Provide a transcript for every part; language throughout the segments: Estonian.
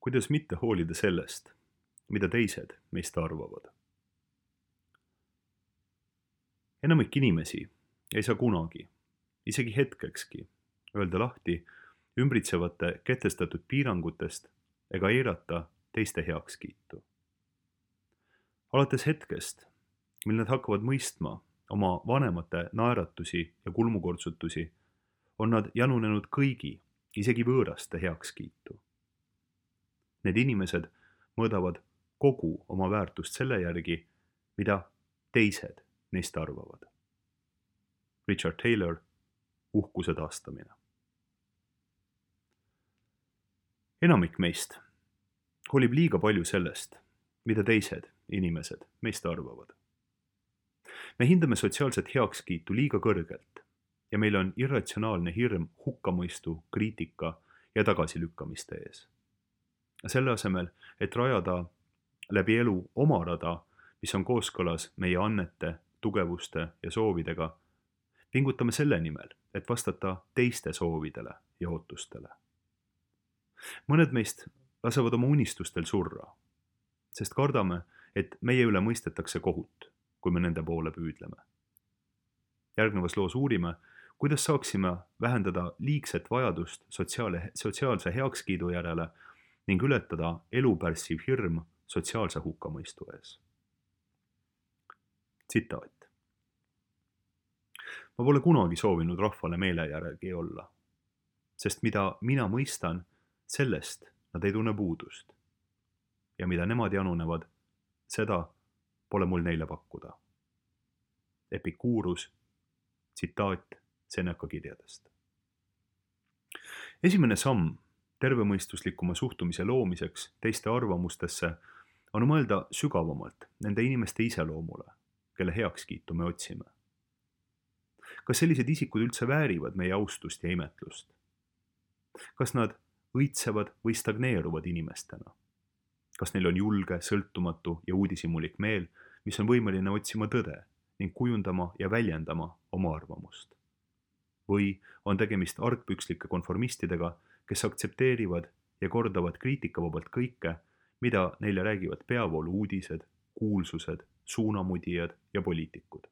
Kuidas mitte hoolida sellest, mida teised meist arvavad? Enamik inimesi ei saa kunagi, isegi hetkekski, öelda lahti ümbritsevate kehtestatud piirangutest ega eirata teiste heakskiitu. Alates hetkest, mil nad hakkavad mõistma oma vanemate naeratusi ja kulmukortsutusi, on nad janunenud kõigi, isegi võõraste heakskiitu. Need inimesed mõõdavad kogu oma väärtust selle järgi, mida teised neist arvavad. Richard Taylor, Uhkuse taastamine. Enamik meist hoolib liiga palju sellest, mida teised inimesed meist arvavad. Me hindame sotsiaalset heakskiitu liiga kõrgelt ja meil on irratsionaalne hirm hukkamõistu, kriitika ja tagasilükkamiste ees. Selle asemel, et rajada läbi elu oma rada, mis on kooskõlas meie annete, tugevuste ja soovidega, pingutame selle nimel, et vastata teiste soovidele ja ootustele. Mõned meist lasevad oma unistustel surra, sest kardame, et meie üle mõistetakse kohut, kui me nende poole püüdleme. Järgnevas loos uurime, kuidas saaksime vähendada liigset vajadust sotsiaalse heakskiidu järele ning ületada elupärssiv hirm sotsiaalse hukkamõistu ees. Tsitaat. Ma pole kunagi soovinud rahvale meele järgi olla, sest mida mina mõistan, sellest nad ei tunne puudust. Ja mida nemad janunevad, seda pole mul neile pakkuda. Epikuurus, tsitaat Seneca kirjadest. Esimene samm tervemõistuslikuma suhtumise loomiseks teiste arvamustesse on mõelda sügavamalt nende inimeste iseloomule, kelle heakskiitu me otsime. Kas sellised isikud üldse väärivad meie austust ja imetlust? Kas nad õitsevad või stagneeruvad inimestena? Kas neil on julge, sõltumatu ja uudishimulik meel, mis on võimeline otsima tõde ning kujundama ja väljendama oma arvamust? Või on tegemist argpükslike konformistidega, kes aktsepteerivad ja kordavad kriitikavabalt kõike, mida neile räägivad peavoolu uudised, kuulsused, suunamudijad ja poliitikud?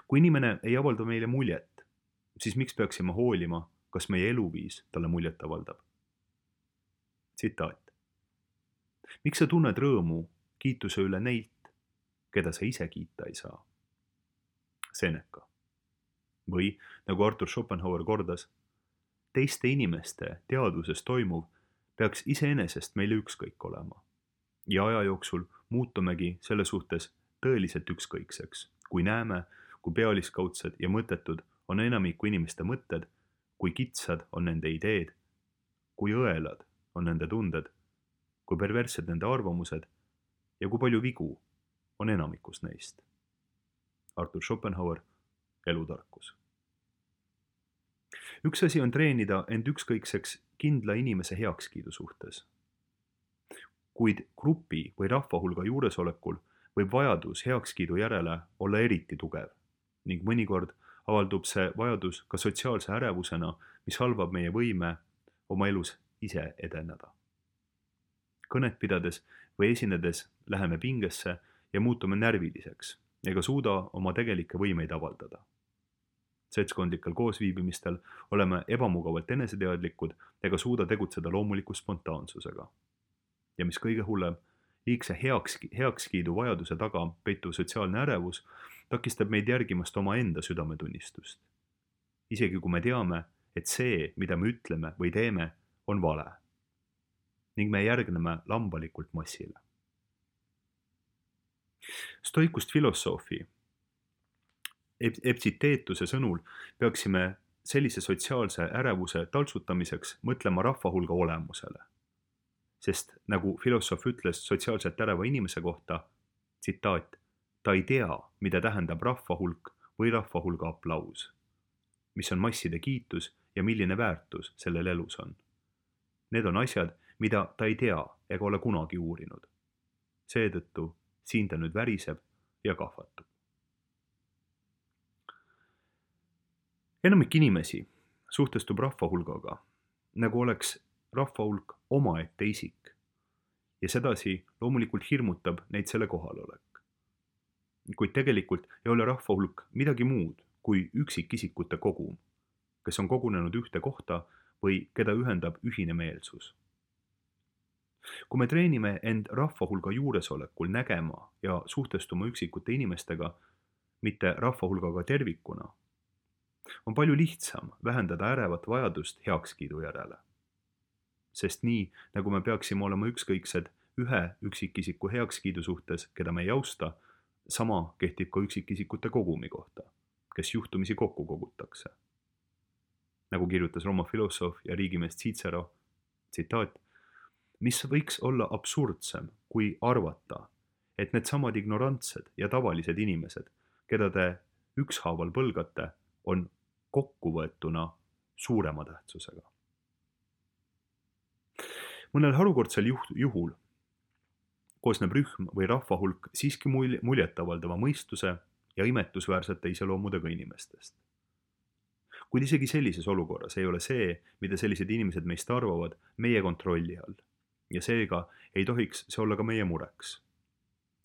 Kui inimene ei avalda meile muljet, siis miks peaksime hoolima, kas meie eluviis talle muljet avaldab? Tsitaat. Miks sa tunned rõõmu kiituse üle neilt, keda sa ise kiita ei saa? Seneca. Või, nagu Arthur Schopenhauer kordas, teiste inimeste teadvuses toimuv peaks iseenesest meile ükskõik olema. Ja aja jooksul muutumegi selle suhtes tõeliselt ükskõikseks, kui näeme, kui pealiskaudsed ja mõttetud on enamiku inimeste mõtted, kui kitsad on nende ideed, kui õelad on nende tunded, kui perverssed nende arvamused ja kui palju vigu on enamikus neist. Arthur Schopenhauer, Elutarkus. Üks asi on treenida end ükskõikseks kindla inimese heakskiidu suhtes. Kuid grupi või rahvahulga juuresolekul võib vajadus heakskiidu järele olla eriti tugev ning mõnikord avaldub see vajadus ka sotsiaalse ärevusena, mis halvab meie võime oma elus ise edeneda. Kõnet pidades või esinedes läheme pingesse ja muutume närviliseks ega suuda oma tegelikke võimeid avaldada. Seltskondlikel koosviibimistel oleme ebamugavalt eneseteadlikud ega suuda tegutseda loomuliku spontaansusega. Ja mis kõige hullem, liigse heakskiidu vajaduse taga peituv sotsiaalne ärevus takistab meid järgimast oma enda südametunnistust. Isegi kui me teame, et see, mida me ütleme või teeme, on vale. Ning me järgneme lambalikult massile. Stoikust filosoofi Epsiteetuse sõnul peaksime sellise sotsiaalse ärevuse taltsutamiseks mõtlema rahvahulga olemusele. Sest nagu filosoof ütles sotsiaalselt äreva inimese kohta, tsitaat, ta ei tea, mida tähendab rahvahulk või rahvahulga aplaus, mis on masside kiitus ja milline väärtus sellel elus on. Need on asjad, mida ta ei tea ega ole kunagi uurinud. Seetõttu siin ta nüüd väriseb ja kahvatub. Enamik inimesi suhtestub rahvahulgaga, nagu oleks rahvahulk omaette isik ja sedasi loomulikult hirmutab neid selle kohalolek. Kuid tegelikult ei ole rahvahulk midagi muud kui üksikisikute kogum, kes on kogunenud ühte kohta või keda ühendab ühine meelsus. Kui me treenime end rahvahulga juuresolekul nägema ja suhtestuma üksikute inimestega, mitte rahvahulgaga tervikuna, on palju lihtsam vähendada ärevat vajadust heakskiidu järele. Sest nii, nagu me peaksime olema ükskõiksed ühe üksikisiku heakskiidu suhtes, keda me ei austa, sama kehtib ka üksikisikute kogumi kohta, kes juhtumisi kokku kogutakse. Nagu kirjutas Rooma filosoof ja riigimees Cicero, tsitaat, mis võiks olla absurdsem kui arvata, et needsamad ignorantsed ja tavalised inimesed, keda te ükshaaval põlgate, on kokkuvõetuna suurema tähtsusega. Mõnel harukordsel juhul koosneb rühm või rahvahulk siiski muljetavaldava mõistuse ja imetlusväärsete iseloomudega inimestest. Kuid isegi sellises olukorras ei ole see, mida sellised inimesed meist arvavad, meie kontrolli all. Ja seega ei tohiks see olla ka meie mureks.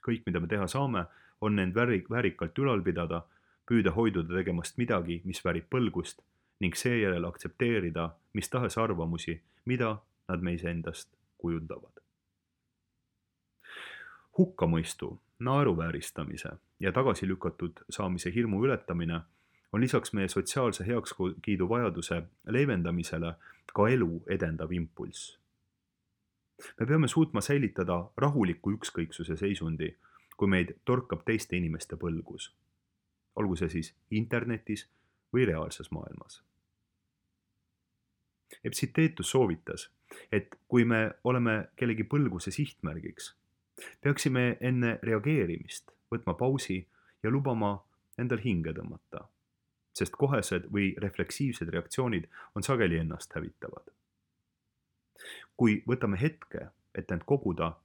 Kõik, mida me teha saame, on end väärikalt ülal pidada, püüda hoiduda tegemast midagi, mis väärib põlgust ning seejärel aktsepteerida mis tahes arvamusi, mida nad meis endast kujundavad. Hukkamõistu, naeruvääristamise ja tagasi lükatud saamise hirmu ületamine on lisaks meie sotsiaalse heakskiidu vajaduse leevendamisele ka elu edendav impulss. Me peame suutma säilitada rahuliku ükskõiksuse seisundi, kui meid torkab teiste inimeste põlgus, olgu see siis internetis või reaalses maailmas. Epictetus soovitas, et kui me oleme kellegi põlguse sihtmärgiks, peaksime enne reageerimist võtma pausi ja lubama endal hinge tõmmata, sest kohesed või refleksiivsed reaktsioonid on sageli ennast hävitavad. Kui võtame hetke, et end koguda,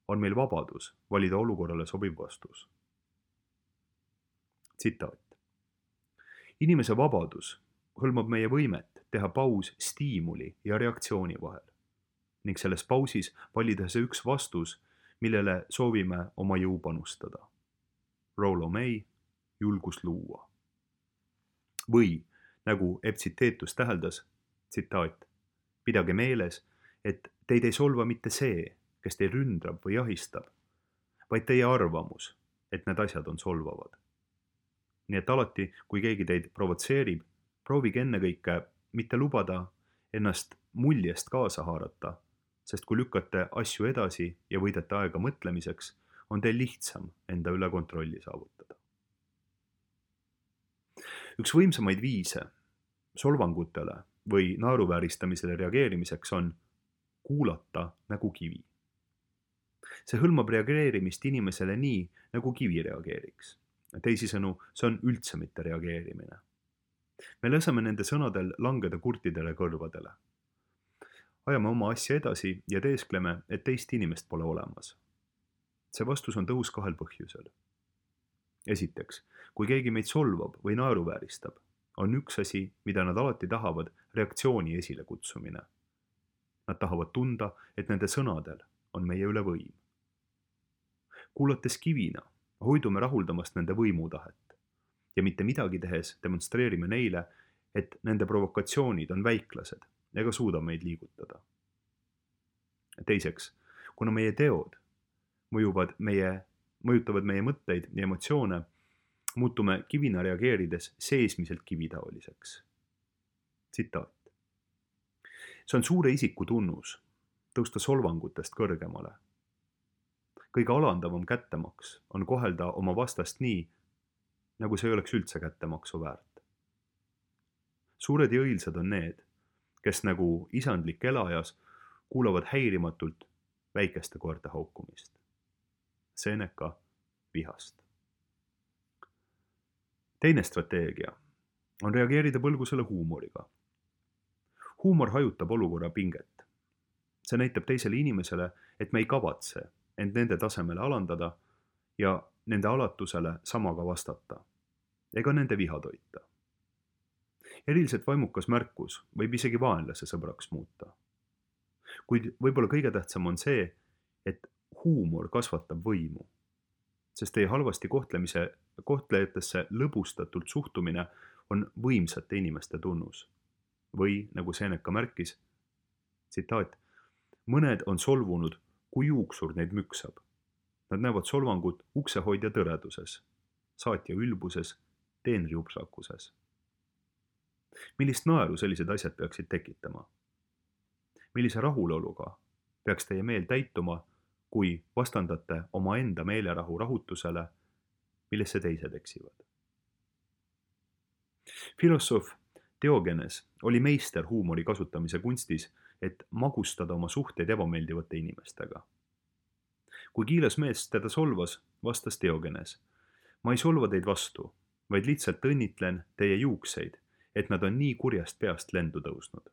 on meil vabadus valida olukorrale sobiv vastus. Tsitaat. Inimese vabadus hõlmab meie võimet teha paus stiimuli ja reaktsiooni vahel ning selles pausis valida see üks vastus, millele soovime oma jõu panustada. Rollo May, julgus luua. Või, nagu Epictetus täheldas, tsitaat, pidage meeles, et teid ei solva mitte see, kes teil ründrab või jahistab, vaid teie arvamus, et need asjad on solvavad. Nii et alati, kui keegi teid provotseerib, proovige ennekõike mitte lubada ennast muljest kaasa haarata, sest kui lükkate asju edasi ja võidate aega mõtlemiseks, on teil lihtsam enda üle kontrolli saavutada. Üks võimsamaid viise solvangutele või naeruvääristamisele reageerimiseks on kuulata nagu kivi. See hõlmab reageerimist inimesele nii, nagu kivi reageeriks. Teisisõnu, see on üldse mitte reageerimine. Me laseme nende sõnadel langeda kurtidele kõrvadele. Ajame oma asja edasi ja teeskleme, et teist inimest pole olemas. See vastus on tõhus kahel põhjusel. Esiteks, kui keegi meid solvab või naeruvääristab, on üks asi, mida nad alati tahavad, reaktsiooni esile kutsumine. Nad tahavad tunda, et nende sõnadel on meie üle võim. Kuulates kivina, hoidume rahuldamast nende võimutahet ja mitte midagi tehes demonstreerime neile, et nende provokatsioonid on väiklased ega suuda meid liigutada. Teiseks, kuna meie teod mõjutavad meie mõtteid ja emotsioone, muutume kivina reageerides seesmiselt kivitaoliseks. Tsitaat. See on suure isiku tunnus tõusta solvangutest kõrgemale. Kõige alandavam kättemaks on kohelda oma vastast nii, nagu see ei oleks üldse kättemaksu väärt. Suured ja õilsad on need, kes nagu isandlik elajas kuulavad häirimatult väikeste koerte haukumist. Seneca vihast. Teine strateegia on reageerida põlgusele huumoriga. Huumor hajutab olukorra pinget. See näitab teisele inimesele, et me ei kavatse end nende tasemele alandada ja nende alatusele samaga vastata, ega nende viha toita. Eriliselt vaimukas märkus võib isegi vaenlase sõbraks muuta. Kuid võib-olla kõige tähtsam on see, et huumor kasvatab võimu, sest teie halvasti kohtlejatesse lõbustatult suhtumine on võimsate inimeste tunnus. Või nagu Seneca märkis, tsitaat, mõned on solvunud, kui juuksur neid müksab. Nad näevad solvangut uksehoidja tõreduses, saatja ülbuses, teenri upsakuses. Millist naeru sellised asjad peaksid tekitama? Millise rahuloluga peaks teie meel täituma, kui vastandate omaenda meelerahu rahutusele, millesse teised eksivad? Filosoof Diogenes oli meister huumori kasutamise kunstis, et magustada oma suhteid ebameeldivate inimestega. Kui kiilas mees teda solvas, vastas Diogenes, ma ei solva teid vastu, vaid lihtsalt õnnitlen teie juukseid, et nad on nii kurjast peast lendu tõusnud.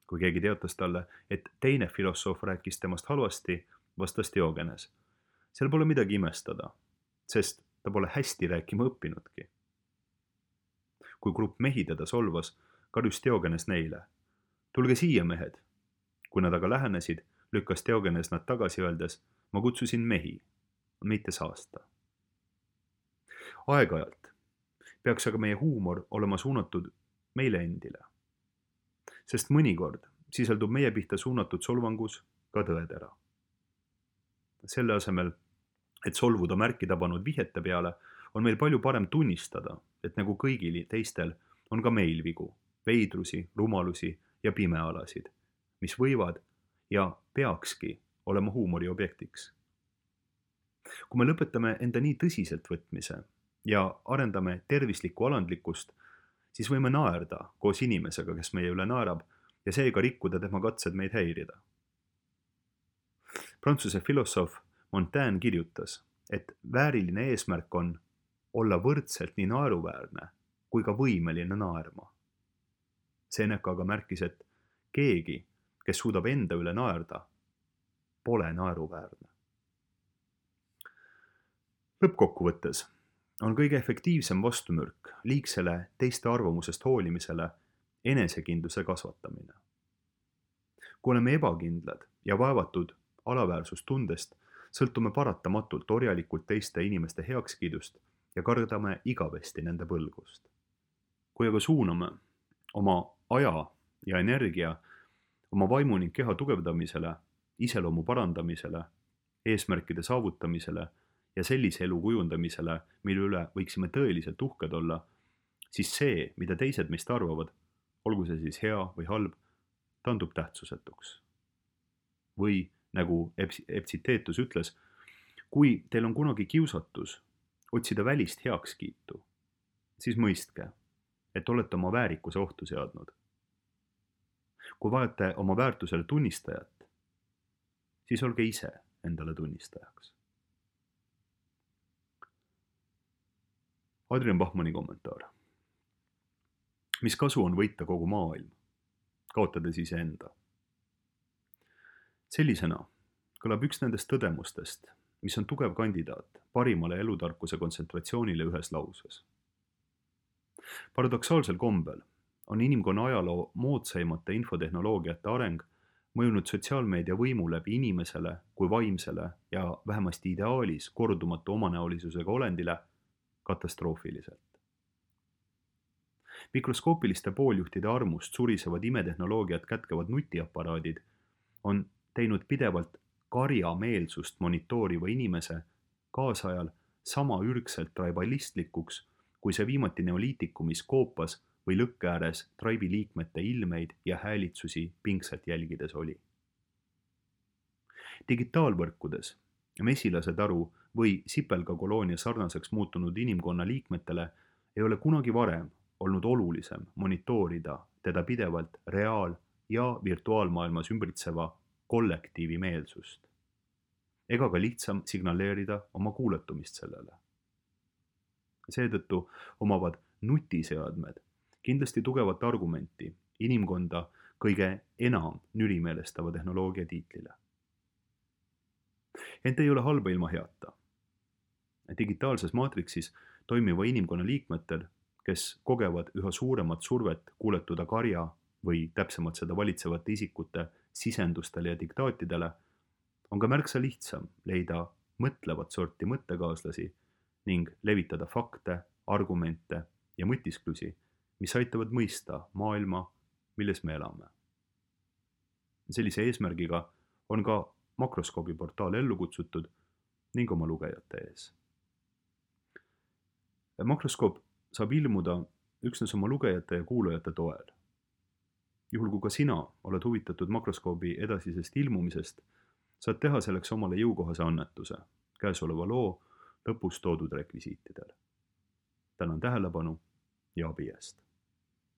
Kui keegi teatas talle, et teine filosoof rääkis temast halvasti, vastas Diogenes, seal pole midagi imestada, sest ta pole hästi rääkima õppinudki. Kui grupp mehi teda solvas, karjus Diogenes neile, tulge siia, mehed. Kui nad aga lähenesid, lükkas Diogenes nad tagasi öeldes, ma kutsusin mehi, mitte saasta. Aeg-ajalt peaks aga meie huumor olema suunatud meile endile, sest mõnikord sisaldub meie pihta suunatud solvangus ka tõetera. Selle asemel, et solvuda märki tabanud vihjete peale, on meil palju parem tunnistada, et nagu kõigil teistel on ka meil vigu, veidrusi, rumalusi ja pimealasid, mis võivad ja peakski olema huumori objektiks. Kui me lõpetame enda nii tõsiselt võtmise ja arendame tervislikku alandlikkust, siis võime naerda koos inimesega, kes meie üle naerab ja seega rikkuda tema katsed meid häirida. Prantsuse filosoof Montaigne kirjutas, et vääriline eesmärk on olla võrdselt nii naeruväärne kui ka võimeline naerma. Seneca aga märkis, et keegi, kes suudab enda üle naerda, pole naeruväärne. Lõppkokkuvõttes on kõige efektiivsem vastumürk liigsele teiste arvamusest hoolimisele enesekindluse kasvatamine. Kui oleme ebakindlad ja vaevatud alaväärsustundest, sõltume paratamatult orjalikult teiste inimeste heakskiidust ja kardame igavesti nende põlgust. Kui aga suuname oma aja ja energia oma vaimu ning keha tugevdamisele, iseloomu parandamisele, eesmärkide saavutamisele ja sellise elu kujundamisele, mille üle võiksime tõeliselt uhked olla, siis see, mida teised meist arvavad, olgu see siis hea või halb, tandub tähtsusetuks. Või nagu Epictetus ütles, kui teil on kunagi kiusatus otsida välist heakskiitu, siis mõistke, et olete oma väärikuse ohtu seadnud. Kui vajate oma väärtusele tunnistajat, siis olge ise endale tunnistajaks. Adrian Bachmanni kommentaar. Mis kasu on võita kogu maailm, kaotades iseenda? Sellisena kõlab üks nendest tõdemustest, mis on tugev kandidaat parimale elutarkuse kontsentratsioonile ühes lauses. Paradoksaalsel kombel on inimkonna ajaloo moodsaimate infotehnoloogiate areng mõjunud sotsiaalmeedia võimu läbi inimesele kui vaimsele ja vähemasti ideaalis kordumatu omanäolisusega olendile katastroofiliselt. Mikroskoopiliste pooljuhtide armust surisevad imetehnoloogiat kätkevad nutiaparaadid on teinud pidevalt karjameelsust monitooriva inimese kaasajal sama ürgselt tribalistlikuks, kui see viimati neoliitikumis koopas või lõkke ääres tribe'i liikmete ilmeid ja häälitsusi pingselt jälgides oli. Digitaalvõrkudes mesilase-taru või sipelgakoloonia sarnaseks muutunud inimkonna liikmetele ei ole kunagi varem olnud olulisem monitoorida teda pidevalt reaal- ja virtuaalmaailmas ümbritseva kollektiivi meelsust, ega ka lihtsam signaleerida oma kuuletumist sellele. Seetõttu omavad nutiseadmed kindlasti tugevat argumenti inimkonda kõige enam nürimeelestava tehnoloogia tiitlile. Ent ei ole halba ilma heata. Digitaalses maatriksis toimiva inimkonna liikmetel, kes kogevad üha suuremat survet kuuletuda karja või täpsemalt seda valitsevate isikute sisendustele ja diktaatidele, on ka märksa lihtsam leida mõtlevat sorti mõttekaaslasi ning levitada fakte, argumente ja mõtisklusi, mis aitavad mõista maailma, milles me elame. Sellise eesmärgiga on ka Makroskoobi portaal ellu kutsutud ning oma lugejate ees. Makroskoop saab ilmuda üksnes oma lugejate ja kuulajate toel. Juhul kui ka sina oled huvitatud Makroskoobi edasisest ilmumisest, saad teha selleks omale jõukohase annetuse käesoleva loo lõpus toodud rekvisiitidel. Tänan tähelepanu ja abi eest!